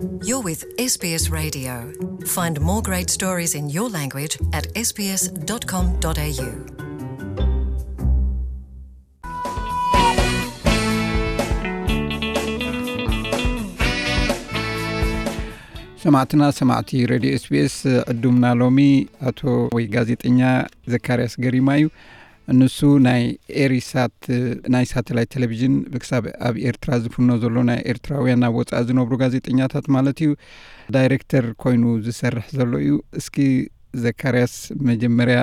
You're with S B S Radio. Find more great stories in your language at S B S dot com dot A U. ሰማዕትና ሰማዕቲ ሬድዮ ኤስቢኤስ፣ ዕዱምና ሎሚ ኣቶ ወይ ጋዜጠኛ ዘካርያስ ገሪማ እዩ። ንሱ ናይ ኤሪሳት ናይ ሳተላይት ቴሌቪዥን ብክሳብ ኣብ ኤርትራ ዝፍኖ ዘሎ ናይ ኤርትራውያን ኣብ ወፃኢ ዝነብሩ ጋዜጠኛታት ማለት እዩ ዳይሬክተር ኮይኑ ዝሰርሕ ዘሎ እዩ። እስኪ ዘካርያስ፣ መጀመርያ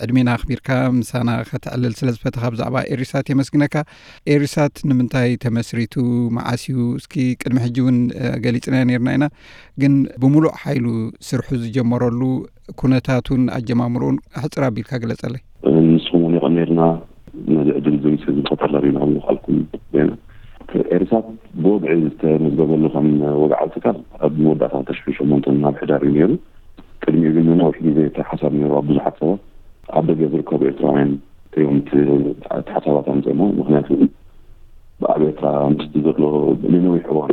ዕድሜና ኣኽቢርካ ምሳና ከተዕልል ስለ ዝፈተኻ ብዛዕባ ኤሪሳት የመስግነካ። ኤሪሳት ንምንታይ ተመስሪቱ፣ መዓስ እዩ? እስኪ ቅድሚ ሕጂ እውን ገሊፅና ነርና ኢና፣ ግን ብምሉእ ሓይሉ ስርሑ ዝጀመረሉ ኩነታቱን ኣጀማምርኡን ኣሕፅር ኣቢልካ ግለፀለይ። ንስኹም እውን የቐኔልና ነዚ ዕድል እዚ ስለ ዝፈጠርና ሪና ንኻልኩም ዜና። ኤሪሳት ብወግዒ ዝተመዝገበሉ ከም ወግዓዊ ትካል ኣብ መወዳእታ ክልተ ሽሕን ሸሞንተን ናብ ሕዳር እዩ ነይሩ። ቅድሚኡ ግን ንነዊሕ ግዜ እቲ ሓሳብ ነይሩ ኣብ ብዙሓት ሰባት። ኣብ ደገ ዝርከቡ ኤርትራውያን እዮም እቲ ሓሳባት ኣምፅኦሞ። ምክንያቱ ኣብ ኤርትራ ምስቲ ዘሎ ንነዊሕ እዋን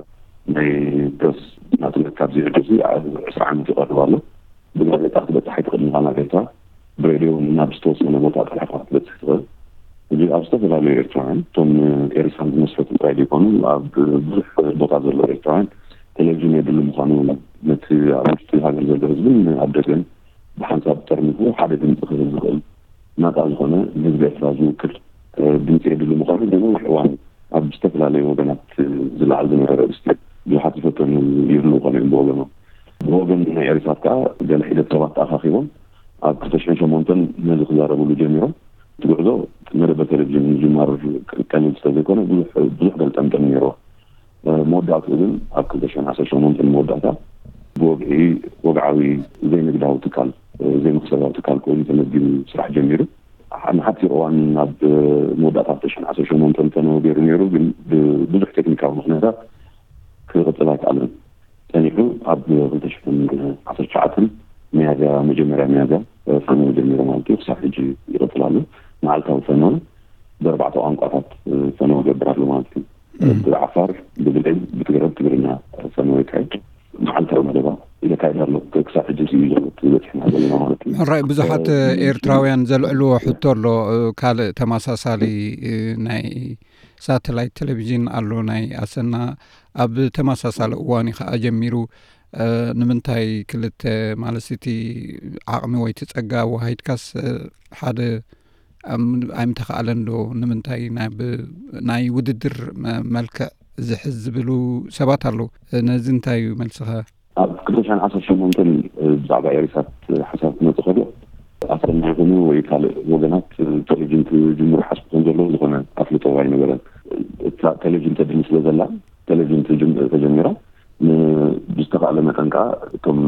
ናይ ፕረስ ናጽነት ካብ ዝሕደሲ ዕስራ ዓመት ይቐርብ ኣሎ። ብጋዜጣ ክትበጽሕ ኣይትኽእልን ኢኻ ናብ ኤርትራ። ብሬድዮ ናብ ዝተወሰነ ቦታ ጥራሕ ኢኻ ክትበጽሕ ትኽእል። እዚ ኣብ ዝተፈላለዩ ኤርትራውያን፣ እቶም ኤሪሳት ዝመስረቱ ጥራይ ዘይኮኑ፣ ኣብ ብዙሕ ቦታ ዘለዉ ኤርትራውያን ቴሌቪዥን የድሊ ምዃኑ፣ ነቲ ኣብ ውሽጢ ሃገር ዘሎ ህዝብን ኣብ ደገን ብሓንሳብ ጠርኒፉ ሓደ ድምፂ ክህብ ዝኽእል ናፃ ዝኾነ ንህዝቢ ኤርትራ ዝውክል ድምፂ የድሊ ምዃኑ ብነዊሕ እዋን ኣብ ዝተፈላለዩ ወገናት ዝለዓል ዝነበረ ኣርእስቲ ብዙሓት ዝፈተኑ ይህልዉ ኮነ እዮም ብወገኖም። ብወገን ናይ ኤሪሳት ከዓ ገለ ሒደት ሰባት ተኣኻኺቦም ኣብ ክልተ ሽሕን ሸሞንተን ነዚ ክዛረብሉ ጀሚሮም። እቲ ጉዕዞ መደበር ቴሌቪዥን ምጅማር ቀሊል ስለዘይኮነ ብዙሕ ብዙሕ ገልጠምጠም ነይርዎ። መወዳእትኡ ግን ኣብ ክልተ ሽሕን ዓሰርተ ሸሞንተን መወዳእታ ብወግዒ ወግዓዊ ዘይንግዳዊ ትካል ዘይመኽሰባዊ ትካል ኮይኑ ተመዝጊቡ ስራሕ ጀሚሩ። ንሓፂር እዋን ኣብ መወዳእታ ክልተ ሽሕን ዓሰርተ ሸሞንተን ፈነወ ገይሩ ነይሩ፣ ግን ብብዙሕ ቴክኒካዊ ምኽንያታት ክቕፅል ኣይከኣለን። ጸኒሑ ኣብ ክልተ ሽሕን ዓሰርተ ትሽዓተን ሚያዝያ፣ መጀመርያ ሚያዝያ ፈነወ ጀሚሩ ማለት እዩ። ክሳብ ሕጂ ይቕፅል ኣሎ። መዓልታዊ ፈነወ ብኣርባዕተ ቋንቋታት ፈነወ ይገብር ኣሎ ማለት እዩ። ብዓፋር፣ ብብሌን፣ ብትግረ፣ ብትግርኛ ፈነወ ይካየድ። መዓልታዊ መደባ የካይድ ኣሎ። ክሳብ ሕጂ እዩ ዘሎ እቲ በፂሕና ዘለና ማለት እዩ። ሕራይ ብዙሓት ኤርትራውያን ዘልዕልዎ ሕቶ ኣሎ። ካልእ ተመሳሳሊ ናይ ሳተላይት ቴሌቪዥን ኣሎ ናይ ኣሰና፣ ኣብ ተመሳሳሊ እዋን እዩ ከዓ ጀሚሩ። ንምንታይ ክልተ ማለት እቲ ዓቕሚ ወይ እቲ ፀጋ ኣወሃሂድካስ ሓደ ኣይምተኻእለን ዶ? ንምንታይ ናይ ውድድር መልክዕ ዝሕዝ ዝብሉ ሰባት ኣለዉ። ነዚ እንታይ እዩ መልስኻ? ኣብ ክልተ ሽሕን ዓሰርተ ሸሞንተን ብዛዕባ ኤሪሳት ሓሳብ ክመፅእ ከሎ ኣሰና ይኹኑ ወይ ካልእ ወገናት ቴሌቪዥን ክጅምሩ ሓስቡ ከም ዘለዉ ዝኾነ ኣፍልጦ ኣይነበረን። እታ ቴሌቪዥን ተድሊ ስለ ዘላ ቴሌቪዥን ተጀሚራ ብዝተኻእለ መጠን ከዓ እቶም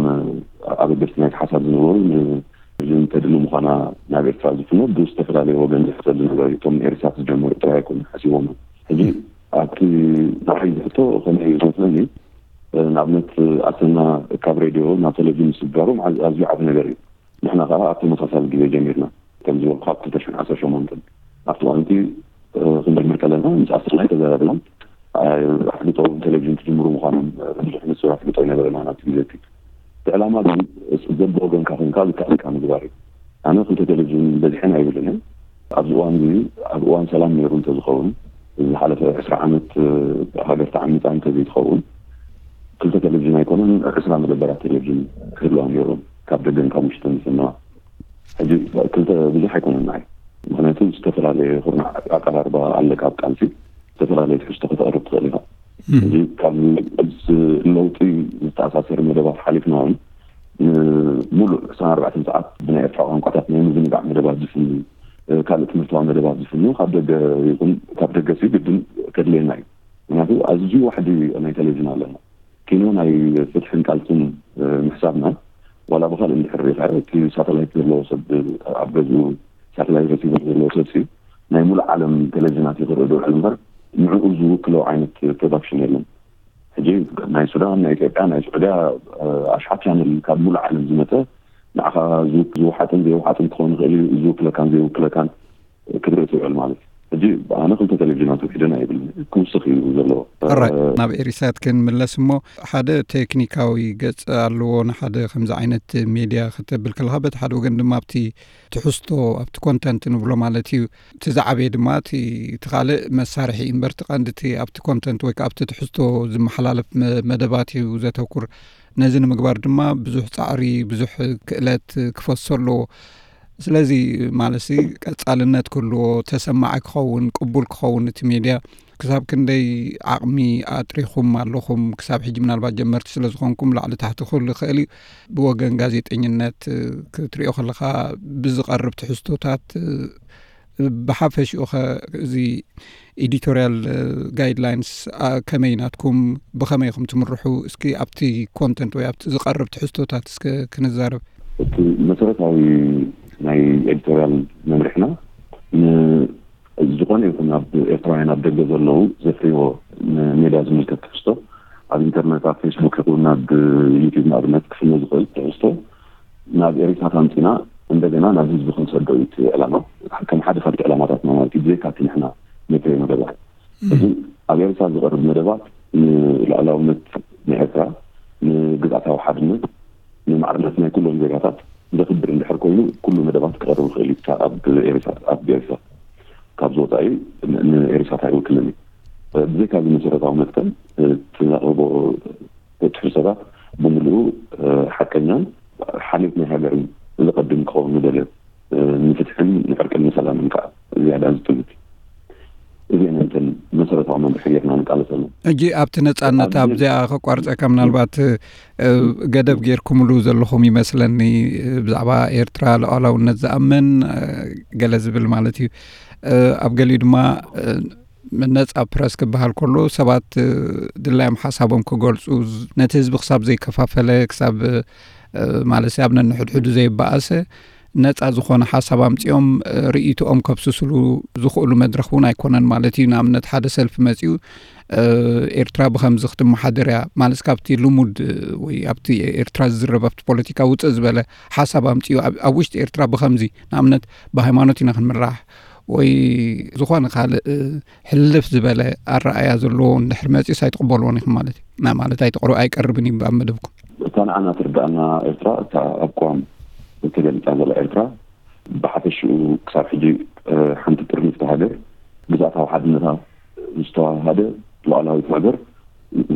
ኣበገስቲ ናይቲ ሓሳብ ዝነበሩ ንቴሌቪዥን ተድሊ ምዃና ናብ ኤርትራ ዝፍኖ ብዝተፈላለየ ወገን ዝሕሰብ ዝነበረ እቶም ኤሪሳት ዝጀመሩ ጥራይ ኣይኮኑ ሓሲቦም። ሕጂ ኣብቲ ንዓይ ዝሕቶ ከመይ እዩ ዝመስለኒ፣ ንኣብነት ኣሰና ካብ ሬድዮ ናብ ቴሌቪዥን ምስግጋሮም ኣዝዩ ዓቢ ነገር እዩ። ንሕና ከዓ ኣብ ተመሳሳሊ ግዜ ጀሚርና ከም ዝበልኩ ኣብ ክልተ ሽሕን ዓሰርተ ሸሞንተን ኣብቲ እዋን እቲ ክንጅምር ከለና ምስ ኣሰና ኣይተዘራረብናን። ኣፍልጦ ቴሌቪዥን ክጅምሩ ምዃኖም ብዙሕ ንጹር ኣፍልጦ ኣይነበረናን ኣብቲ ግዜ እቲ። እቲ ዕላማ ግን በብወገንካ ኮንካ ዝከኣለካ ምግባር እዩ። ኣነ ክልተ ቴሌቪዥን በዚሐን ኣይብልን እየ። ኣብዚ እዋን እዚ ኣብ እዋን ሰላም ነይሩ እንተዝኸውን፣ ዝሓለፈ ዕስራ ዓመት ሃገር ተዓሚፃ እንተዘይትኸውን ክልተ ቴሌቪዥን ኣይኮነን ዕስራ መደበራት ቴሌቪዥን ክህልዋ ነይሮም ካብ ደገን ካብ ውሽጥን ዝፍነዋ። ሕጂ ክልተ ብዙሕ ኣይኮነን ንዓይ። ምክንያቱ ዝተፈላለየ ኩርናዕ ኣቀራርባ ኣለካ ኣብ ቃልሲ ዝተፈላለየ ትሕዝቶ ከተቕርብ ትኽእል ኢኻ። እዚ ካብ ለውጢ ዝተኣሳሰር መደባት ሓሊፍና እውን ንሙሉእ ዕስራን ኣርባዕተን ሰዓት ብናይ ኤርትራ ቋንቋታት ናይ ምዝንጋዕ መደባት ዝፍኑ ካልእ ትምህርታዊ መደባት ዝፍኑ ካብ ደገ ይኹን ካብ ደገ ሲ ግድን ከድልየና እዩ። ምክንያቱ ኣዝዩ ዋሕዲ ናይ ቴሌቪዥን ኣለና። ኪኖ ናይ ፍትሕን ቃልስን ምሕሳብና ዋላ ብካልእ እንድሕር ሪኢኻ እቲ ሳተላይት ዘለዎ ሰብ ኣብ ገዝኡ ሳተላይት ረሲቨር ዘለዎ ሰብ ሲ ናይ ሙሉእ ዓለም ቴሌቪዥናት ይኽርኢ ዶ ውዕል እምበር ንዕኡ ዝውክሎ ዓይነት ፕሮዳክሽን የለን። ሕጂ ናይ ሱዳን፣ ናይ ኢትዮጵያ፣ ናይ ስዑድያ ኣሽሓት ቻነል ካብ ሙሉእ ዓለም ዝመፀ ንዓኻ ዝውሓጥን ዘይውሓጥን ክኸውን ይኽእል እዩ። ዝውክለካን ዘይውክለካን ክትርኢ ትውዕል ማለት እዩ። ሕጂ ኣነ ክልተ ቴሌቪዥናት ውሒደን ኣይብልን፣ ክውስኽ እዩ ዘለዎ። ሕራይ፣ ናብ ኤሪሳት ክንምለስ እሞ፣ ሓደ ቴክኒካዊ ገጽ ኣለዎ። ንሓደ ከምዚ ዓይነት ሜድያ ክተብል ከለኻ፣ በቲ ሓደ ወገን ድማ ኣብቲ ትሕዝቶ፣ ኣብቲ ኮንተንት ንብሎ ማለት እዩ። እቲ ዝዓበየ ድማ እቲ፣ እቲ ካልእ መሳርሒ እምበር፣ እቲ ቀንዲ እቲ ኣብቲ ኮንተንት ወይ ከዓ ኣብቲ ትሕዝቶ ዝመሓላለፍ መ-፣ መደባት እዩ ዘተኩር። ነዚ ንምግባር ድማ ብዙሕ ጻዕሪ፣ ብዙሕ ክእለት ክፈሶ ኣለዎ። ስለዚ ማለትሲ ቀጻልነት ክህልዎ፣ ተሰማዒ ክኸውን፣ ቅቡል ክኸውን እቲ ሜድያ፣ ክሳብ ክንደይ ዓቕሚ ኣጥሪኹም ኣለኹም? ክሳብ ሕጂ ምናልባት ጀመርቲ ስለ ዝኾንኩም ላዕሊ ታሕቲ ክህሉ ይኽእል እዩ። ብወገን ጋዜጠኝነት ክትሪኦ ከለኻ ብዝቐርብ ትሕዝቶታት ብሓፈሽኡ ኸ እዚ ኤዲቶሪያል ጋይድላይንስ ከመይ ናትኩም፣ ብኸመይ ኢኹም ትምርሑ? እስኪ ኣብቲ ኮንተንት ወይ ኣብቲ ዝቐርብ ትሕዝቶታት እስከ ክንዛረብ። እቲ መሰረታዊ ናይ ኤዲቶሪያል መምርሕና ን-፣ ዝኾነ ይኹን ኣብ ኤርትራውያን ኣብ ደገ ዘለዉ ዘፍርይዎ ንሜድያ ዝምልከት ትሕዝቶ ኣብ ኢንተርነት፣ ኣብ ፌስቡክ ይኹን ኣብ ዩቲዩብ ንኣብነት ክፍኖ ዝኽእል ትሕዝቶ ናብ ኤሪሳት ኣምጺና እንደገና ናብ ህዝቢ ክንሰዶ እዩ እቲ ዕላማ። ከም ሓደ ካብቲ ዕላማታትና ማለት እዩ፣ ብዘይካ እቲ ንሕና ነፍርዮ መደባት። እም። እዚ ኣብ ኤሪሳት ዝቐርብ መደባት ንልኡላውነት ናይ ኤርትራ፣ ንግዝኣታዊ ሓድነት፣ ንማዕርነት ናይ ኩሎም ዜጋታት ዘኽብር እንድሕር ኮይኑ፣ ኩሉ መደባት ክቐርብ ይኽእል እዩ፣ ኣብ ኤሪሳት፣ ኣብ ኤሪሳት ካብ ዝወጻኢ ን-፣ ንኤሪሳት ኣይውክልን እዩ። ብዘይካ እዚ መሰረታዊ መትከል፣ እቲ ዘቕርቦ ትሕዝቶታት ብምሉኡ ሓቀኛን ሓልዮት ናይ ሃገርን ዘቐድም ክኸውን ንደልዮ፣ ንፍትሕን ንዕርቅን ንሰላምን ከዓ ዝያዳ ዝጥምት። እዚአን እተን መሰረታዊ መምርሒ ጌርና ንቃለሰሉ። ሕጂ ኣብቲ ነጻነት ኣብዚ ኣብዚኣ ከቋርጸካ፣ ምናልባት፣ እ፣ ገደብ ጌርኩምሉ ዘለኹም ይመስለኒ፣ እ፣ ብዛዕባ ኤርትራ ሉዓላውነት ዝኣምን፣ እ፣ ገለ ዝብል ማለት እዩ። እ፣ ኣብ ገሊኡ ድማ፣ እ፣ ነጻ ፕረስ ክበሃል ከሎ ሰባት፣ እ፣ ድላዮም ሓሳቦም ክገልጹ፣ ዝ-፣ ነቲ ህዝቢ ክሳብ ዘይከፋፈለ፣ ክሳብ፣ እ፣ ማለት ኣብ ነንሕድሕዱ ዘይበኣሰ ነጻ ዝኾነ ሓሳብ ኣምጺኦም፣ እ፣ ርእይቶኦም ከብስስሉ ዝኽእሉ መድረኽ እውን ኣይኮነን ማለት እዩ። ንኣብነት ሓደ ሰልፊ መጺኡ፣ እ፣ ኤርትራ ብኸምዚ ክትመሓደር እያ ማለት ካብቲ ልሙድ፣ እ፣ ወይ ኣብቲ ኤርትራ ዝዝረብ ኣብቲ ፖለቲካ ውጽእ ዝበለ ሓሳብ ኣምጺኡ ኣብ፣ ኣብ ውሽጢ ኤርትራ ብኸምዚ ንኣብነት ብሃይማኖት ኢና ክንምራሕ ወይ ዝኾነ ካልእ፣ እ፣ ሕልፍ ዝበለ ኣረኣእያ ዘለዎ እንድሕር መጺኡስ ኣይትቕበልዎን ኢኹም ማለት እዩ። ና-፣ ማለት ኣይትቕር-፣ ኣይቀርብን እዩ ኣብ መደብኩም። እታ ንዓና ትርድኣና ኤርትራ፣ እታ ኣብ ቅዋም እተገሊጻ ዘላ ኤርትራ፣ ብሓፈሽኡ ክሳብ ሕጂ፣ እ፣ ሓንቲ ጥርንፍቲ ሃገር፣ ግዝኣታዊ ሓድነታ ዝተዋሃደ ሉዓላዊት ሃገር፣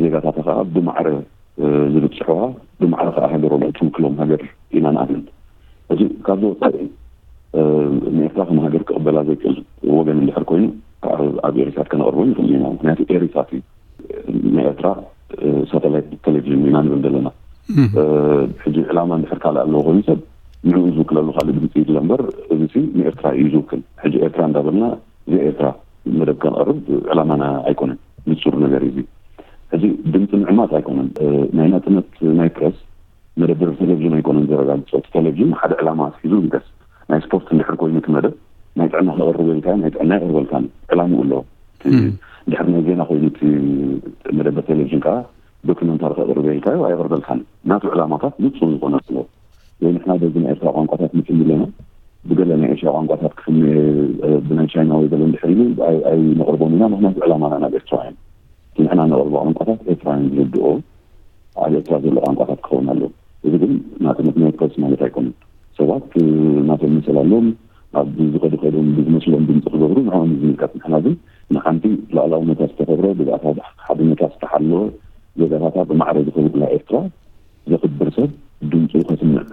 ዜጋታታ ከኣ ብማዕረ፣ እ፣ ዝብጽሕዋ፣ ብማዕረ ከኣ ሃገሮም እትውክሎም ሃገር ኢና ንኣምን። እዚ ካብዚ ወጻኢ፣ እ፣ ንኤርትራ ከም ሃገር ክቕበላ ዘይክእል ወገን እንድሕር ኮይኑ፣ ኣብ፣ ኣብ ኤሪሳት ከነቕርቦ ንኽእል ኢና። ምኽንያቱ ኤሪሳት እዩ። ናይ ኤርትራ፣ እ፣ ሳተላይት ቴሌቪዥን ኢና ንብል ዘለና። እም። እ፣ ሕጂ ዕላማ እንድሕር ካልእ ኣለዎ ኮይኑ ሰብ ንዕኡ ዝውክለሉ ካልእ ድምፂ ይድለ እምበር፣ እዚ ሲ ንኤርትራ እዩ ዝውክል። ሕጂ ኤርትራ እንዳበልና ብዘይ ኤርትራ መደብ ከነቕርብ ዕላማና ኣይኮነን። ንጹር ነገር እዩ እዚ። ሕጂ ድምፂ ምዕማፅ ኣይኮነን። እ፣ ናይ ናጽነት ናይ ፕረስ መደበር ቴሌቪዥን ኣይኮነን ዘረጋግጾ። እቲ ቴሌቪዥን ሓደ ዕላማ ኣትሒዙ ይንቀስ። ናይ ስፖርት እንድሕር ኮይኑ እቲ መደብ ናይ ጥዕና ከቕርብ ኢልካዮ፣ ናይ ጥዕና ኣይቕርበልካን። ዕላምኡ ኣለዎ። እቲ እም። እንድሕር ናይ ዜና ኮይኑ እቲ መደበር ቴሌቪዥን ከኣ ዶክመንታሪ ከቕርብ ኢልካዮ፣ ኣይቕርበልካን። ናቱ ዕላማታት ንጹር ዝኾነ ኣለዎ። ወይ ንሕና በዚ ናይ ኤርትራ ቋንቋታት ንፍኒ ኣለና፣ ብገለ ናይ ኤሽያ ቋንቋታት ክፍኒ፣ እ፣ ብናይ ቻይና ወይ ገለ እንድሕር ኢሉ ኣይ-፣ ኣይነቕርቦን ኢና፣ ምኽንያቱ ዕላማና ናብ ኤርትራውያን። እቲ ንሕና ነቕርቦ ቋንቋታት ኤርትራውያን ዝርድኦ ኣብ ኤርትራ ዘሎ ቋንቋታት ክኸውን ኣለዎ። እዚ ግን ናጽነት ናይ ፕረስ ማለት ኣይኮነን። ሰባት፣ እ፣ ናቶም መሰል ኣለዎም። ኣብ ዝኸዱ ከይዶም ብዝመስሎም ድምፂ ክገብሩ ንዕኦም እዩ ዝምልከት። ንሕና ግን ንሓንቲ ሉዓላውነታ ዝተኸብረ፣ ግዝኣታዊ ሓድነታ ዝተሓለወ፣ ዜጋታታ ብማዕረ ዝኸብሩላ ኤርትራ ዘኽብር ሰብ ድምፁ ከስምዕ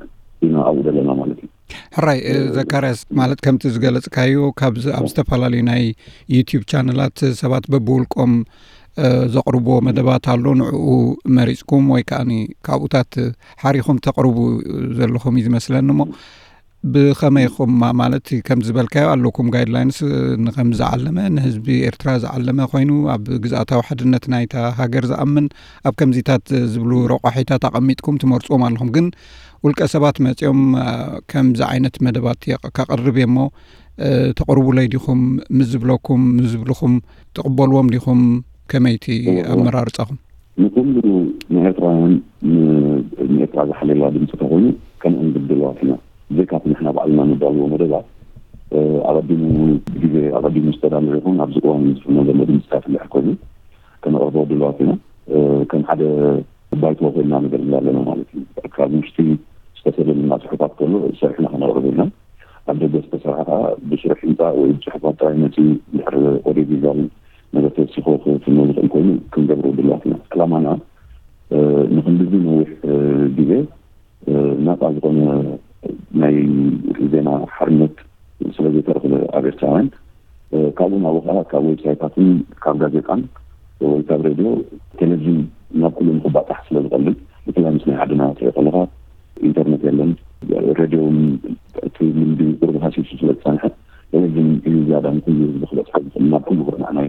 ኢና ኣብኡ ዘለና ማለት እዩ። ሕራይ፣ እ፣ እ፣ ዘካርያስ፣ ማለት ከምቲ ዝገለጽካዮ ካብዚ ኣብ ዝተፈላለዩ ናይ ዩቲዩብ ቻነላት ሰባት በብውልቆም፣ እ፣ ዘቕርብዎ መደባት ኣሎ፣ ንዕኡ መሪጽኩም ወይ ከኣኒ ካብኡታት ሓሪኹም ተቕርቡ ዘለኹም እዩ ዝመስለኒ። እሞ ብኸመይ ኢኹም ማ-፣ ማለት ከምዚ ዝበልካዮ ኣለኩም ጋይድላይንስ ንኸም ዝዓለመ፣ ንህዝቢ ኤርትራ ዝዓለመ ኮይኑ ኣብ ግዝኣታዊ ሓድነት ናይታ ሃገር ዝኣምን ኣብ ከምዚታት ዝብሉ ረቋሒታት ኣቐሚጥኩም ትመርጽዎም ኣለኹም። ግን ውልቀ ሰባት መጺኦም፣ አ፣ ከምዚ ዓይነት መደባት የቕ-፣ ከቕርብ እየ እሞ፣ እ፣ ተቕርቡለይ ዲኹም ምስ ዝብለኩም፣ ምስ ዝብልኹም ትቕበልዎም ዲኹም? ከመይቲ እወ፣ እወ። ኣመራርጻኹም? ንኹሉ ንኤርትራውያን ን-፣ ንኤርትራ ዝሓልየላ ድምፂ ተኾይኑ ከምኡ ንብል ድልዋት ኢና። ብዘይካቲ ንሕና ባዕልና ነዳልዎ መደባት ኣቐዲሙ፣ ግዜ ኣቐዲሙ ዝተዳለወ ይኹን ኣብዚ እዋን ዝፍኖ ዘሎ ድምፅታት እንድሕር ኮይኑ ከነቕርቦ ድልዋት ኢና። ከም ሓደ ባይቶ ኮይና ነገር ዘለና ማለት እዩ። ካብ ውሽጢ ዝተሰደልና ፅሑፋት ከሎ ሰሪሕና ከነቕርቦ ኢና። ኣብ ደገ ዝተሰርሐ ከዓ ብስሩዕ ህንፃ ወይ ብፅሑፋት ጥራይ መፂኡ ድሕሪ ኦዲዮ ቪዛል ነገር ተወሲኮ ክፍኖ ዝኽእል ኮይኑ ክንገብሮ ድልዋት ኢና። ዕላማና ንክንድዚ ነዊሕ ግዜ ናፃ ዝኾነ ናይ ዜና ሓርነት ስለ ዘይተረኽበ ኣብ ኤርትራውያን፣ ካብኡ ናብኡ ከዓ ካብ ዌብሳይታትን ካብ ጋዜጣን ወይ ካብ ሬድዮ፣ ቴሌቪዥን ናብ ኩሉ ንክባጣሕ ስለ ዝቐልል፣ ብፍላይ ምስ ናይ ዓድና ትሪኦ ከለኻ ኢንተርነት የለን፣ ሬድዮ እውን እቲ ልምዲ ቁሩብ ሃሲሱ ስለ ዝፀንሐ፣ ቴሌቪዥን እዩ ዝያዳ ንኩሉ ህዝቢ ክበፅሖ ዝኽእል፣ ናብ ኩሉ ኩርናዕ ናይ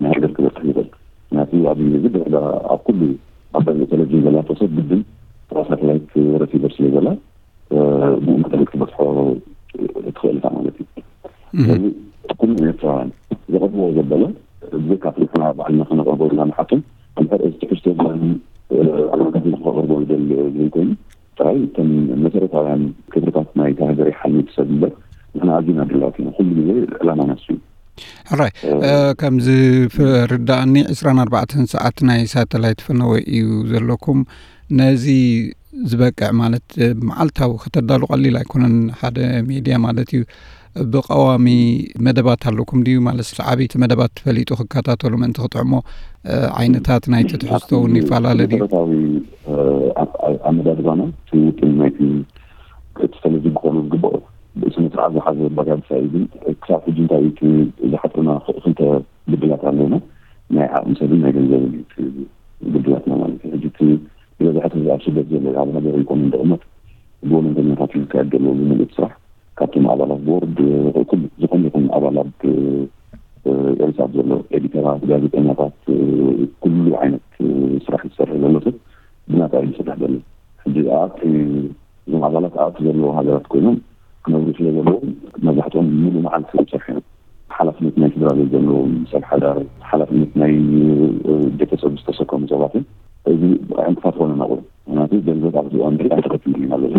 ናይ ሃገር ክበፅሕ ይኽእል። ምክንያቱ ኣብዚ ግዜ ብዕዳ ኣብ ኩሉ ኣብ ቴሌቪዥን ዘላቶ ሰብ ግድን ሳተላይት ረሲቨር ስለ ዘላ ብኡ መጠን ክትበፅሖ ትኽእል እታ ማለት እዩ። ስለዚ ኩሉ ኤርትራውያን ዘቐርብዎ ዘበለ ብዘይካ ንሕና ባዕልና ከነቐርቦ ኢና ንሓቶም። እንድሕር እዚ ትሕዝቶ ዝኮኑ ኣመልካቲ ከቐርቦ ዝደሊ ዘይኮይኑ ጥራይ እተን መሰረታውያን ክብርታት ናይቲ ሃገር ይሓልዩ ሰብ እምበር ንሕና ኣዝና ድላዋት ኢና። ኩሉ ግዜ ዕላማና እሱ እዩ። ሕራይ ከምዚ ፍርዳእኒ ዕስራን ኣርባዕተን ሰዓት ናይ ሳተላይት ፈነወ እዩ ዘለኩም። ነዚ ዝበቅዕ ማለት መዓልታዊ ከተዳሉ ቀሊል ኣይኮነን። ሓደ ሚድያ ማለት እዩ ብቀዋሚ መደባት ኣለኩም ድዩ? ማለት ሰዓቢ እቲ መደባት ፈሊጡ ክከታተሉ ምእንቲ ክጥዕሞ ዓይነታት ናይ ትሕዝቶ እውን ይፈላለ ድዩ? መሰረታዊ ኣመዳድባና እቲ ውጥን ናይቲ እቲ ቴሌቪዥን ክኾኑ ዝግበኦ ስነ ስርዓት ዝሓዘ ኣባጋግሳ እዩ። ግን ክሳብ ሕጂ እንታይ እዩ ዝሓፅረና ክልተ ግድላት ኣለና። ናይ ዓቕሚ ሰብን ናይ ገንዘብን እዩ እቲ ግድላትና ማለት እዩ። ሕጂ እቲ ዝበዝሐ ህዝቢ ኣብ ስደት ዘሎ ኣብ ሃገር ይኮኑ እንደቕመጥ ብወለንተኛታት እዩ ዝካየድ ዘሎ ዝምልእት ስራሕ ካብቶም ኣባላት ቦርድ ኩሉ ዝኾነ ይኹን ኣባላት ኤልሳት ዘሎ ኤዲተራት፣ ጋዜጠኛታት፣ ኩሉ ዓይነት ስራሕ ዝሰርሕ ዘሎ ሰብ ብናፃ እዩ ዝሰርሕ ዘሎ። ሕጂ ኣብቲ እዞም ኣባላት ኣብቲ ዘለዎ ሃገራት ኮይኖም ክነብሩ ስለ ዘለዎም መብዛሕትኦም ሙሉእ መዓልቲ እዮም ዝሰርሑ እዮም። ሓላፍነት ናይ ስድራ ቤት ዘለዎም ሰብ ሓዳር፣ ሓላፍነት ናይ ቤተሰብ ዝተሰከሙ ሰባት እዮም። እዚ ዕንቅፋት ኮነ ናቑ ምክንያቱ ገንዘብ ኣብዚ እዋን ሪኣ ተኸትሉ ኢና ዘሎ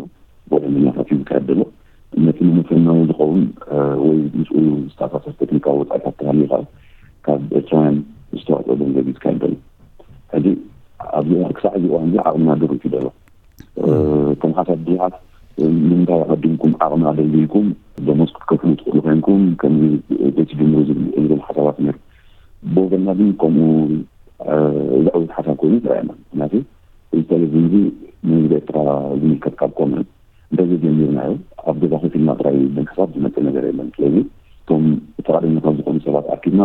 ወደ ምናታት እዩ ዝካየድ ዘሎ። ነቲ ንምፍናው ዝኸውን ወይ ምስኡ ዝተኣሳሰር ቴክኒካዊ ወፃኢታት ተሃልዩ ከዓ ካብ ኤርትራውያን ዝተዋፅኦ ገንዘብ እዩ ዝካየድ ዘሎ። ሕጂ ኣብዚ ክሳዕ እዚ እዋን እዚ ዓቕምና ድሩት እዩ ዘሎ። ከም ሓሳብ ብዙሓት ንምንታይ ኣቐዲምኩም ዓቕሚ ኣደልድልኩም ደሞዝ ክትከፍሉ ትኽእሉ ኮይንኩም ከምዚ ዘይትጅምሩ ዝብል ሓሳባት ነይሩ። ብወገንና ግን ከምኡ ዘዕውት ሓሳብ ኮይኑ ይረኣየና። ምክንያቱ እዚ ቴሌቪዥን እዚ ንህዝቢ ኤርትራ ዝምልከት ካብ ኮነ እንተዘይጀሚርናዮ ኣብ ገዛ ኮፍ ኢልና ጥራይ ብምሕሳብ ዝመፅእ ነገር የለን። ስለዚ እቶም ፍቃደኛታት ዝኾኑ ሰባት ኣኪብና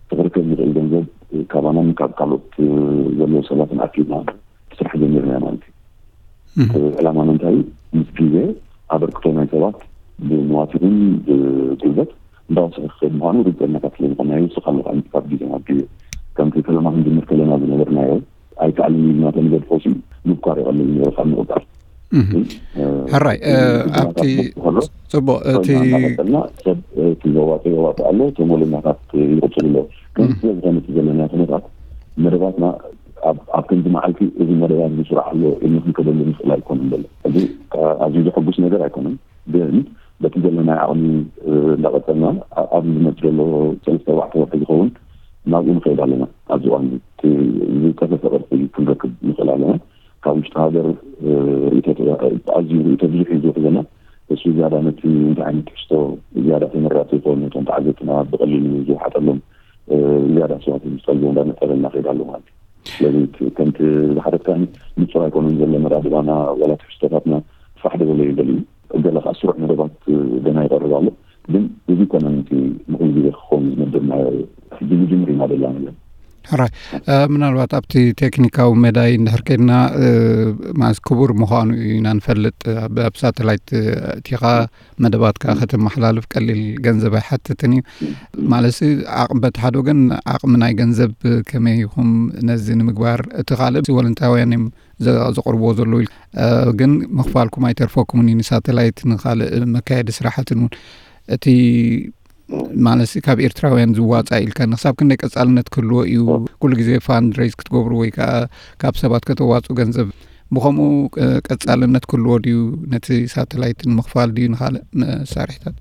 እቲ ክርከብ ዝኽእል ገንዘብ ካባናን ካብ ካልኦት ዘለዉ ሰባትን ኣኪብና ስራሕ ጀሚርና ማለት እዩ። ዕላማና እንታይ እዩ? ምስ ግዜ ኣበርክቶ ናይ ሰባት ብመዋት ይኹን ብጉልበት እንዳወሰኸ ክኸይድ ምዃኑ ርግፀኛታት ስለ ዝኾንና ይውስኽ ኣሎ። ካብ ግዜ ናብ ግዜ ከምቲ ፈለማ ክንጅምር ከለና ዝነበርናዮ ኣይከኣልን ኢልና ተንገድፎ ሲ ምብኳር ይቐልል ነይሩ ካብ ምቕጻል። ሕራይ ኣብቲ ጽቡቕ እቲ እናቐጸልና ሰብ እቲ ዘዋጽኦ የዋጽእ ኣሎ፣ እቶም ወለኛታት ይቕጽሉ ኣለዉ። ከምዚ ስለ ዝኾነ እቲ ዘለና ኩነታት መደባትና ኣብ ከምዚ መዓልቲ እዚ መደባት እዚ ስራሕ ኣሎ ኢልና ክንከደሉ ንኽእል ኣይኮነን ዘሎ። እዚ ኣዝዩ ዘሐጉስ ነገር ኣይኮነን፣ ግን በቲ ዘለናዮ ዓቕሚ እንዳቐጸልና ኣብዚ ዝመጽእ ዘሎ ሰለስተ ኣርባዕተ ወርሒ ዝኸውን ናብኡ ንኸይድ ኣለና። ኣብዚ እዋን እዚ ዝጸፈፈ ቅርጺ ክንረክብ ንኽእል ኣለና። ካብ ውሽጢ ሃገር ኣዝዩ ርእይቶ ብዙሕ እዩ ዝውሕዘና። እሱ ዝያዳ ነቲ እንታይ ዓይነት ትሕዝቶ ዝያዳ ተመራፂ ይኸውን፣ ነቶም ተዓዘብትና ብቐሊሉ ዝውሓጠሎም ዝያዳ ሰባት ዝጠልቦ እንዳመጠረ እናኸይድ ኣሎ ማለት እዩ። ስለዚ ከምቲ ዝሓተትካኒ ንፁር ኣይኮነን ዘሎ መዳድባና ዋላ ትሕዝቶታትና ፋሕ ደበለ ይበል እዩ። ገለ ከዓ ስሩዕ መደባት ገና ይቐርብ ኣሎ። ግን እዚ ኮነ ምንቲ ንኹሉ ግዜ ክኸውን ዝመደብናዮ ሕጂ ምጅምር ኢና ደላ ነገር። ሕራይ ምናልባት ኣብቲ ቴክኒካዊ መዳይ እንድሕር ከድና ማለት ክቡር ምዃኑ ኢና ንፈልጥ። ኣብ ሳተላይት እቲኻ መደባትካ ከተመሓላልፍ ቀሊል ገንዘብ ኣይሓትትን እዩ። ማለት ዓቕሚ በቲ ሓደ ወገን ዓቕሚ ናይ ገንዘብ ከመይ ይኹም ነዚ ንምግባር እቲ ካልእ ወለንታውያን እዮም ዘቕርብዎ ዘለዉ ግን ምኽፋልኩም ኣይተርፈኩምን እዩ ንሳተላይት ንካልእ መካየዲ ስራሕትን እውን እቲ ማለት ካብ ኤርትራውያን ዝዋፃእ ኢልካ ንክሳብ ክንደይ ቀፃልነት ክህልዎ እዩ? ኩሉ ግዜ ፋንድሬዝ ክትገብሩ ወይ ከዓ ካብ ሰባት ከተዋፁ ገንዘብ ብከምኡ ቀፃልነት ክህልዎ ድዩ? ነቲ ሳተላይት ንምኽፋል ድዩ ንካልእ መሳርሒታት?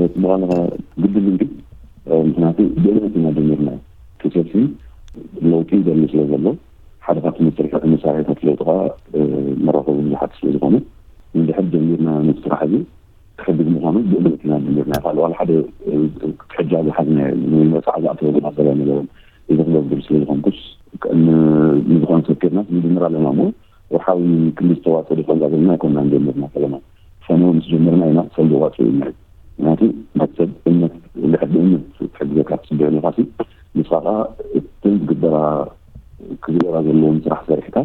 እቲ በቓልኻ ግድል እንዲ ምክንያቱ ብእምነት ኢና ጀሚርና። እቲ ሰልፊ ለውጢ ይደሊ ስለ ዘሎ ሓደ ካብቲ መሳርሒ- መሳርሒታት ለውጢ ከዓ መራኸቢ ብዙሓት ስለ ዝኾነ ንድሕር ጀሚርና ነቲ ስራሕ እዚ ክሕግዝ ምዃኑ ብእምነት ኢና ጀሚርና። ካልእ ዋላ ሓደ ክትሕጃ ዝሓዝና ንመፃዕ ዝኣተወ ሰለ ነበረ እዚ ክገብር ስለ ዝኾንኩስ ንዝኾነ ሰብ ኬድና ንድምር ኣለና እሞ ወርሓዊ ክንዲ ዝተዋፀ ዶ ከምዛ ዘለና ኣይኮና ንጀምርና ፈለማ ፈነው ምስ ጀመርና ኢና ሰልዲ ዋፂ ኢልና እዩ። ምክንያቱ መክሰብ እምነት ልሕድ እምነት ትሕግዘካ ትፅበዮ ኣለካ ሲ ንስኻ ከዓ እትን ዝግበራ ክግበራ ዘለዎም ስራሕ ሰሪሕካ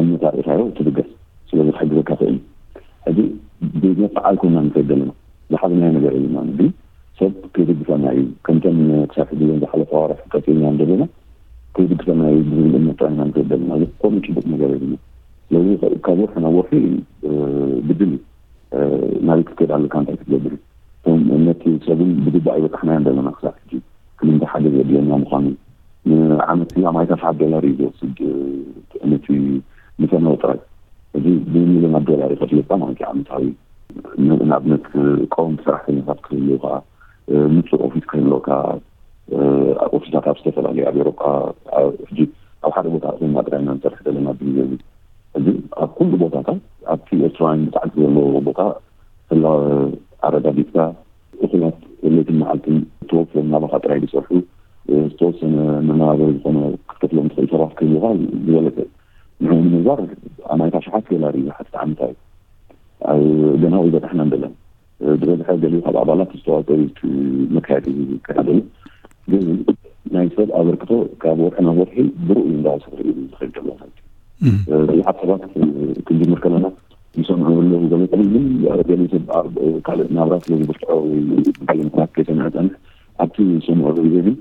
እምነት ኣርእኻዮ ትብገስ ስለዚ ክሕግዘካ ክእል እዩ። ሕዚ ብመጣዕ ኣይኮና ንከይድ ዘለና ዝሓዝናዮ ነገር የለና ግን ሰብ ከይደግፈና እዩ። ከምተን ክሳብ ሕዚ ለን ዝሓለፈ ኣዋርሕ ቀፂልና ዘለና ከይድግፈና እዩ ዝብል እምነት ጥራይ ኢና ንክእል ዘለና። ዝኾነ ፅቡቅ ነገር የለና። ስለዚ ካብ ወርሒ ናብ ወርሒ ግድን እዩ ናበይ ክትከይድ ኣለካ እንታይ ክትገብር እዩ። እቶም ነቲ ሰብን ብግባእ ይበጣሕናዮ ዘለና ክሳብ ሕጂ ክልንተ ሓደ ዘድለና ምዃኑ ንዓመት ላ ማይታ ሸሓት ዶላር እዩ ዝወስድ ነቲ ንፈነወ ጥራይ እዚ ብሚሊዮናት ዶላር ይኸፍለካ ማለት እዩ ዓመታዊ ንኣብነት ቀወምቲ ሰራሕተኛታት ክህልውካ ምፁእ ኦፊስ ክህልወካ ኦፊሳት ኣብ ዝተፈላለዩ ኣብ ኤሮጳ ሕጂ ኣብ ሓደ ቦታ ኮይና ጥራይ ኢና ንሰርሕ ዘለና ብግዜ እዚ ሕዚ ኣብ ኩሉ ቦታታት ኣብቲ ኤርትራውያን ብጣዕሚ ዘለዎ ቦታ ህላወ ኣረጋጊፅካ እኹላት ለይትን መዓልትን ተወፍዮም ናባኻ ጥራይ ዝሰርሑ ዝተወሰነ መነባበሪ ዝኾነ ክትከፍሎም ትኽእል ሰባት ክህልውኻ ዝበለፀ ንዕኡ ንምግባር ኣማይታ ሸሓት ዶላር እዩ ዝሓትት ዓመታዊ ገና ወይ በጣሕና እንደለን ዝበዝሐ ገሊኡ ካብ ኣባላት ዝተዋፀኡ መካየዲ ዝከታተሉ ግን ናይ ሰብ ኣበርክቶ ካብ ወርሒ ናብ ወርሒ ብርኡ እንዳወሰኸ እዩ ዝኸይድ ዘሎ ማለት እዩ። ብዙሓት ሰባት ክንጅምር ከለና ይሰምዑ ኣለዉ ገለ ቀብል ግን ገለ ሰብ ኣብ ካልእ ናብራ ስለ ዝብርትዖ ወይ ካልእ ምክንያት ከይሰምዐ ጸንሕ ኣብቲ ዝሰምዑ ግዜ ግን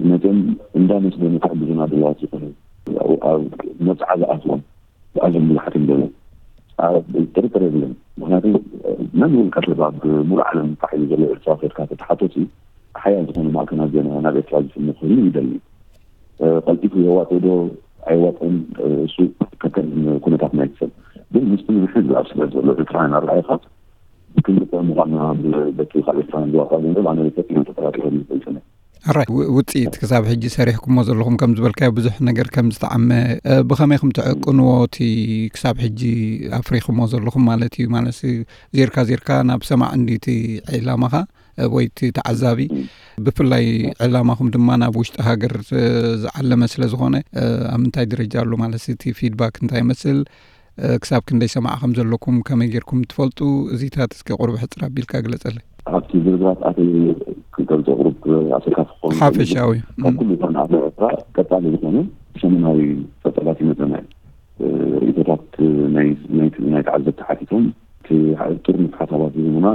ነቶም እንዳመስገኑ ክሕግዙና ድለዋት ዝኾነ ኣብ መብፅዓ ዝኣትዎም ኣዝዮም ብዙሓት እዮም ዘለዉ። ጥርጥር የብለን። ምክንያቱ መን ውልቀ ሰብ ኣብ ሙሉእ ዓለም ፋሕ ኢሉ ዘሎ ኤርትራ ከድካ ተተሓቶሲ ሓያል ዝኾነ ማዕከናት ዜና ናብ ኤርትራ ዝፍኖ ክህሉ ይደሊ። ቀልጢፉ የዋፅእ ዶ ኣይዋፅእን እሱ ከከም ኩነታት ናይቲ ሰብ ግን ምስቲ ንሕዚ ኣብ ስደት ዘሎ ኤርትራውያን ኣረኣእኻ ክንግጠም ምዃንና በቲ ካብ ኤርትራውያን ዝዋፃ ገንዘብ ኣነ ፈፂመ ተጠራጢረ ይፈልጥነ። ኣራይ ውፅኢት ክሳብ ሕጂ ሰሪሕኩሞ ዘለኹም ከም ዝበልካዮ ብዙሕ ነገር ከም ዝተዓመ ብኸመይ ከም ትዕቅንዎ እቲ ክሳብ ሕጂ ኣፍሪኽሞ ዘለኹም ማለት እዩ ማለት ዜርካ ዜርካ ናብ ሰማዕ እንዲቲ ዕላማኻ ወይ እቲ ተዓዛቢ ብፍላይ ዕላማኹም ድማ ናብ ውሽጢ ሃገር ዝዓለመ ስለ ዝኾነ ኣብ ምንታይ ደረጃ ኣሎ ማለት እቲ ፊድባክ እንታይ ይመስል ክሳብ ክንደይ ሰማዕ ከም ዘለኩም ከመይ ጌርኩም ትፈልጡ? እዚታት እስኪ ቁሩብ ሕፅር ኣቢልካ ግለፀለይ። ኣብቲ ዝርዝራት ኣተይ ክገልፆ ቁሩብ ኣሰካፊ ክኸውን ይኽእል እዩ። ሓፈሻዊ ካብ ኩሉ እተን ኣብ ኤርትራ ቀፃሊ ዝኾነ ሰሙናዊ ፀብፃባት ይመፀና እዩ። ርእይቶታት ናይ ናይ ተዓዘብቲ ሓቲቶም እቲ ጥርኑፍ ሓሳባት ዝህቡና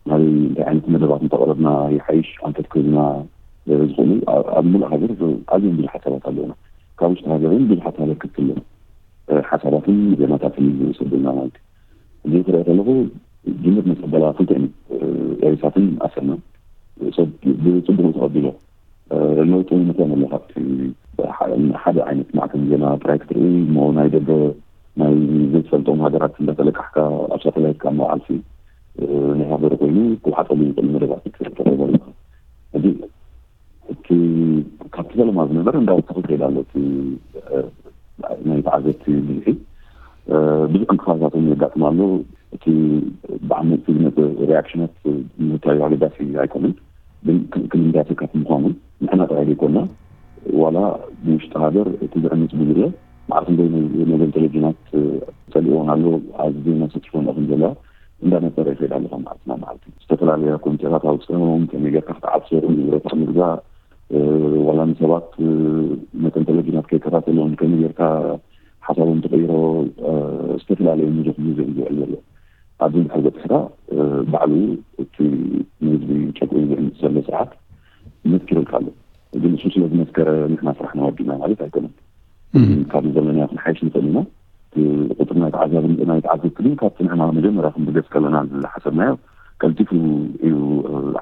ናበይ እንታይ ዓይነት መደባት እንተቕረብና ይሓይሽ ኣንፈት ክህቡና ዝኽእሉ ኣብ ሙሉእ ሃገር ኣዝዮም ብዙሓት ሰባት ኣለውና። ካብ ውሽጢ ሃገር እውን ብዙሓት ኣበርክትቲ ኣለዉ። ሓሳባትን ዜናታትን ዝሰደልና ማለት እዩ። እዚ ክሪኦ ከለኹ ጅምር መጸበላ ክልተ ኤሪሳትን ኣሰና ሰብ ብጽቡቅ ተቐቢሎ ለውጢ ምኮነ ኣሎ ካብቲ ሓደ ዓይነት ማዕከን ዜና ጥራይ ክትርኢ እሞ ናይ ደገ ናይ ዘይትፈልጦም ሃገራት እንዳተለቃሕካ ኣብ ሳተላይት ካብ መውዓልሲ ናይ ሃገሩ ኮይኑ ክውሓጠሉ ይኽእል መደባት ተረበልካ እዚ እቲ ካብቲ ፈለማ ዝነበረ እንዳወሰኸ ይኸይድ ኣሎ። እቲ ናይ ተዓዘብቲ ብዝሒ ብዙሕ እንቅፋታትን የጋጥም ኣሎ። እቲ ብዓመፅቲ ዝመፅእ ሪያክሽናት ምንታዩ ኣገዳሲ ኣይኮነን። ግን ክንዳተካት ምዃኑ ንሕና ጥራይ ዘይኮና ዋላ ብውሽጢ ሃገር እቲ ዝዕምፅ ብዙለ ማዕርፍ እንደ መዘን ቴሌቪዥናት ፀሊኦን ኣሎ ኣብዚ ዜና ሰኪፎን ከም ዘለዋ እንዳነፀረ ይኸይድ ኣለኻ ማዕርፍና ማዕርፍ ዝተፈላለያ ኮሚቴታት ኣውፅኦም ከመይ ጌርካ ክትዓብሶ ንብረታት ምግዛእ ዋላ ንሰባት መተን ቴሌቪዥናት ከይከታተሎም ከመይ ጌርካ ሓሳቦም ተቀይሮ ዝተፈላለዩ ብዙሕ ግዜ እዩ ዝውዕል ዘሎ። ኣብዚ እንድሕር በፅሕካ ባዕሉ እቲ ንህዝቢ ጨቁ ዝዕምፅ ዘሎ ስርዓት መስኪሩልካ ኣሎ። ግን እሱ ስለ ዝመስከረ ንሕና ስራሕና ወዲና ማለት ኣይኮነን። ካብዚ ዘለናዮ ክንሓይሽ ንኽእል ኢና። ቁፅሪ ናይ ተዓዛቢ ናይ ተዓዘብቲ ግን ካብቲ ንሕና መጀመርያ ክንብገስ ከለና ዝሓሰብናዮ ቀልጢፉ እዩ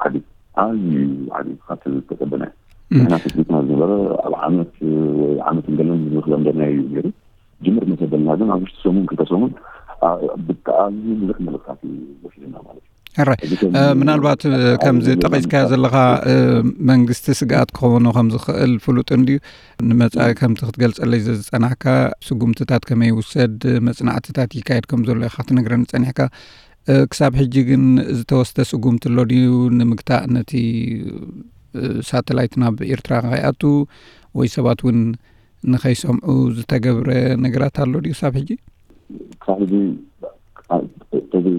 ዓቢ ኣዝዩ እዩ ዓቢ ካብቲ ዝተፀበናዮ። ንሕና ተፅቢትና ዝነበረ ኣብ ዓመት ወይ ዓመት ንገለን ዝኽለምደናዮ እዩ ነይሩ። ጅምር መሰበልና ግን ኣብ ውሽጢ ሰሙን ክልተ ሰሙን ብጣዕሚ ብዙሕ መልእክታት እዩ ወሲድና ማለት እዩ። ሕራይ ምናልባት ከምዚ ጠቒስካዮ ዘለኻ መንግስቲ ስግኣት ክኾኖ ከም ዝኽእል ፍሉጥ እንድዩ። ንመጻኢ ከምቲ ክትገልጸለይ ዝጸናሕካ ስጉምትታት ከመይ ይውሰድ፣ መጽናዕትታት ይካየድ ከም ዘሎ ኢኻ ክትነግረኒ ጸኒሕካ። ክሳብ ሕጂ ግን ዝተወስደ ስጉምቲ ኣሎ ድዩ ንምግታእ ነቲ ሳተላይት ናብ ኤርትራ ከይኣቱ ወይ ሰባት እውን ንኸይሰምዑ ዝተገብረ ነገራት ኣሎ ድዩ ክሳብ ሕጂ? ክሳብ ሕጂ ተዘይ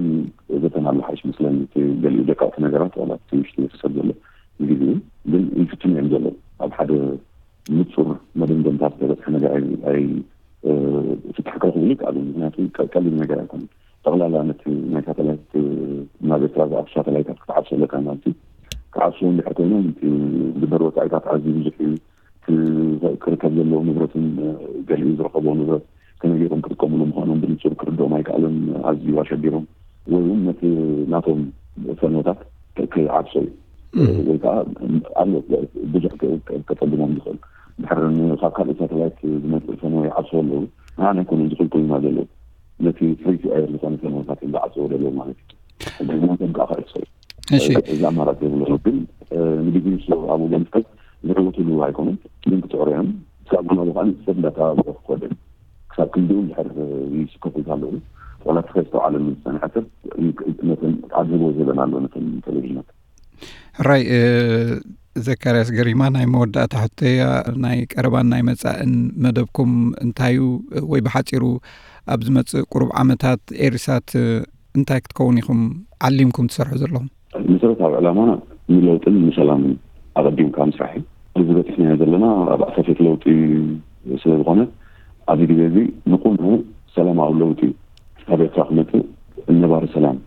ዘተናሉ ሓይሽ መስለኒ። ገሊኡ ደቃቕቲ ነገራት ዋላ ትንሽ ዝሰብ ዘሎ ንግዜ ግን ይፍትኑ እዮም ዘለዉ። ኣብ ሓደ ንጹር መደምደምታ ዝተበፅሐ ነገር ፍታሕ ክረኽብሉ ይከኣሉ። ምክንያቱ ቀሊል ነገር ኣይኮነ። ጠቕላላ ነቲ ናይ ሳተላይት ናብ ኤርትራ ዝኣቱ ሳተላይታት ክትዓብሶ ኣለካ ማለት እዩ። ክዓብስዎ እንድሕር ኮይኖም ዝግበር ወፃኢታት ኣዝዩ ብዙሕ እዩ። ክርከብ ዘለዎ ንብረትን ገሊኡ ዝረኸቦ ንብረት ከመይ ገይሮም ክጥቀምሉ ምዃኖም ብንጹር ክርድኦም ኣይከኣለን። ኣዝዩ ኣሸጊሮም ወይ እውን ነቲ ናቶም ፈኖታት ክዓብሶ እዩ ወይ ከዓ ኣሎ ብዙሕ ከፀግሞም ዝኽእል ድሕር ካብ ካልእ ሳተላይት ዝመፅእ ፈኖ ይዓብስዎ ኣለዉ። ንዓና ኣይኮነን ዝኽልክሉና ዘለዉ ነቲ ፍሪቲ ኣየር ዝኾነ ፈኖታት እዮም ዝዓብስዎ ዘለዉ ማለት እዩ። ሕግናቶም ከዓ ክዕብሶ እዩ። እዚ ኣማራፂ የብሎን። ግን ንግዜ ኣብኡ ብምስከት ዝዕውትሉ ኣይኮኑን። ግን ክፅዕሩ እዮም። ክሳብ ግና ብካኒ ሰብ እንዳተባብረ ክኮደ ክሳብ ክንዲኡ እንድሕር ይስከፉ ኣለዉ። ዋላ እቲ ከይስተውዓለሉ ዝፀንሐ ሰብ ነተን ኣድህቦ ዝህበን ኣሎ ነተን ቴሌቪዥናት። ሕራይ ዘካርያስ ገሪማ፣ ናይ መወዳእታ ሕቶያ ናይ ቀረባን ናይ መጻእን መደብኩም እንታዩ ወይ ብሓጺሩ ኣብ ዝመጽእ ቁሩብ ዓመታት ኤሪሳት እንታይ ክትከውን ኢኹም ዓሊምኩም ትሰርሑ ዘለኹም? መሰረታዊ ዕላማና ንለውጥን ንሰላምን ኣቐዲምካ ምስራሕ እዩ። እዚ በፂሕናዮ ዘለና ኣብ ኣሳፊት ለውጢ ስለዝኾነ ኣብዚ ግዜ እዚ ንቁኑዕ ሰላማዊ ለውጢ ኣብ ኤርትራ ክመፅእ ነባሪ ሰላም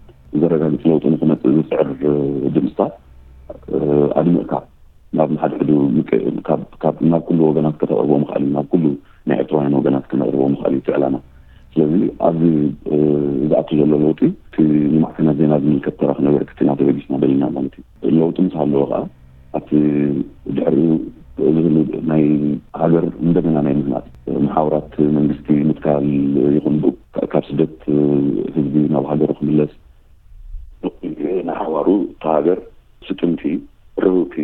ዘረጋግፅ ለውጢ ንክመፅእ ዝፅዕር ድምፅታት ኣድምቕካ ናብ ንሓድሕዱ ናብ ኩሉ ወገናት ከተቕርቦ ምኽኣል እዩ። ናብ ኩሉ ናይ ኤርትራውያን ወገናት ክነቕርቦ ምኽኣል እዩ እቲ ዕላማ። ስለዚ ኣብዚ ዝኣቱ ዘሎ ለውጢ እቲ ንማዕከናት ዜና ዝምልከት ተራ ክነበርክ ኢና ተበጊስና ደሊና ማለት እዩ። ለውጢ ምስ ሃለወ ከዓ ኣብቲ ድሕሪኡ ዝህሉ ናይ ሃገር እንደገና ናይ ምህናፅ መሓውራት መንግስቲ ምትካል ይኹን ካብ ስደት ህዝቢ ናብ ሃገሩ ክምለስ ንሓዋሩ እታ ሃገር ስጥምቲ ርህውቲ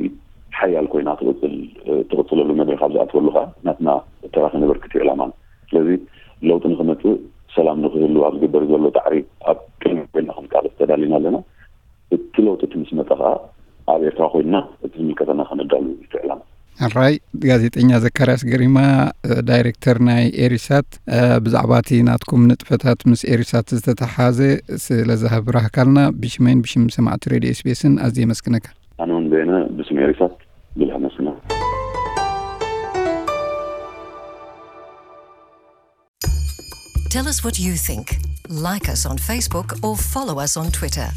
ሓያል ኮይና ትቕፅል ትቕፅለሉ መድረክ ኣብ ዝኣትወሉ ከዓ ናትና ተራ ክነበርክት እዩ ዕላማና። ስለዚ ለውጢ ንክመፅእ ሰላም ንክህሉ ኣብ ዝግበር ዘሎ ፃዕሪ ኣብ ቅድሚ ኮይና ክንቃለስ ተዳሊና ኣለና። እቲ ለውጢ እቲ ምስ መፀ ከዓ ኣብ ኤርትራ ኮይንና እቲ ዝምልከተና ከነዳሉ እዩ እቲ ዕላማ። ሕራይ ጋዜጠኛ ዘካርያስ ገሪማ ዳይሬክተር ናይ ኤሪሳት ብዛዕባ እቲ ናትኩም ንጥፈታት ምስ ኤሪሳት ዝተተሓዘ ስለ ዝሃብራህካልና ብሽመይን ብሽም ሰማዕቲ ሬድዮ ኤስቢኤስን ኣዝየ የመስግነካ። ኣነ እውን በየነ ብስም ኤሪሳት ብዙሕ ኣመስግና። Tell us what you think. Like us on Facebook or follow us on Twitter.